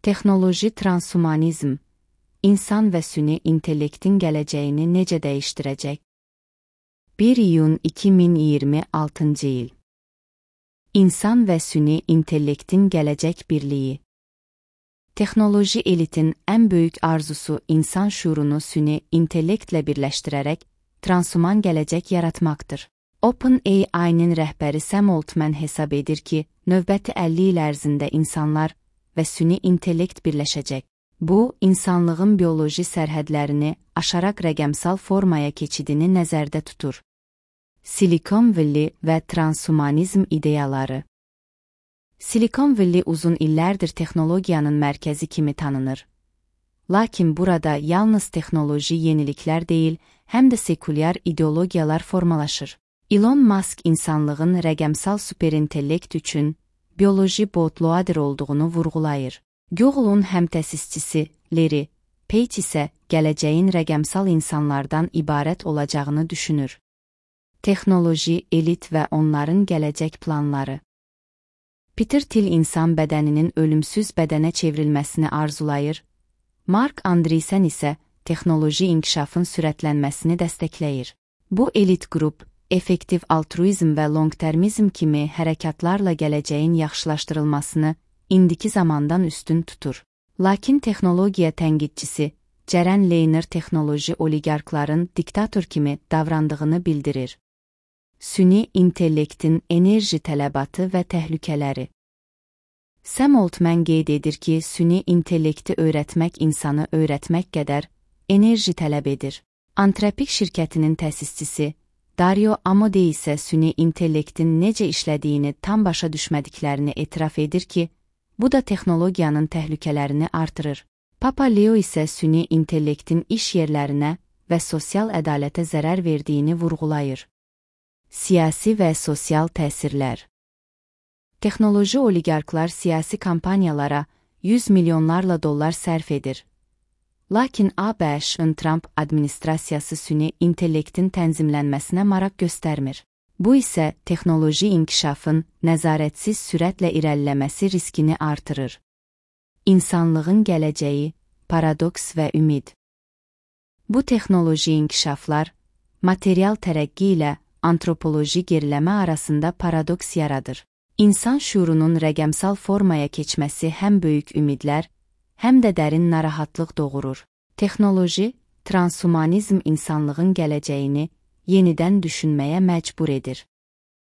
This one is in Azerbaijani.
Texnoloji transhumanizm, insan və süni intellektin gələcəyini necə dəyişdirəcək? 1 iyun 2026-cı il. İnsan və süni intellektin gələcək birliyi. Texnoloji elitin ən böyük arzusu insan şuurunu süni intellektlə birləşdirərək transhuman gələcək yaratmaqdır. OpenAI-nin rəhbəri Sam Altman hesab edir ki, növbəti 50 il ərzində insanlar və süni intellekt birləşəcək. Bu, insanlığın bioloji sərhədlərini aşaraq rəqəmsal formaya keçidini nəzərdə tutur. Silikon Valley və transhumanizm ideyaları. Silikon Valley uzun illərdir texnologiyanın mərkəzi kimi tanınır. Lakin burada yalnız texnoloji yeniliklər deyil, həm də sekulyar ideologiyalar formalaşır. Elon Musk insanlığın rəqəmsal superintellekt üçün bioloji bootloader olduğunu vurğulayır. Google'un həm təsisçisi Larry Page isə gələcəyin rəqəmsal insanlardan ibarət olacağını düşünür. Texnoloji, elit və onların gələcək planları. Peter Thiel insan bədəninin ölümsüz bədənə çevrilməsini arzulayır. Mark Andreessen isə texnoloji inkişafın sürətlənməsini dəstəkləyir. Bu elit qrup, effektiv altruizm və long-termizm kimi hərəkatlarla gələcəyin yaxşılaşdırılmasını indiki zamandan üstün tutur. Lakin texnologiya tənqidçisi Cərən Leyner texnoloji oligarkların diktator kimi davrandığını bildirir. Süni intellektin enerji tələbatı və təhlükələri. Sam Altman qeyd edir ki, süni intellekti öyrətmək insanı öyrətmək qədər enerji tələb edir. Anthropic şirkətinin təsisçisi Dario Amodei isə süni intellektin necə işlədiyini tam başa düşmədiklərini etiraf edir ki, bu da texnologiyanın təhlükələrini artırır. Papa Leo isə süni intellektin iş yerlərinə və sosial ədalətə zərər verdiyini vurğulayır. Siyasi və sosial təsirlər. Texnoloji oligarklar siyasi kampaniyalara 100 milyonlarla dollar sərf edir. Lakin ABŞ-ın Trump administrasiyası süni intellektin tənzimlənməsinə maraq göstərmir. Bu isə texnoloji inkişafın nəzarətsiz sürətlə irəliləməsi riskini artırır. İnsanlığın gələcəyi, paradoks və ümid. Bu texnoloji inkişaflar, material tərəqqi ilə antropoloji geriləmə arasında paradoks yaradır. İnsan şuurunun rəqəmsal formaya keçməsi həm böyük ümidlər, həm də dərin narahatlıq doğurur. Texnoloji, transhumanizm insanlığın gələcəyini yenidən düşünməyə məcbur edir.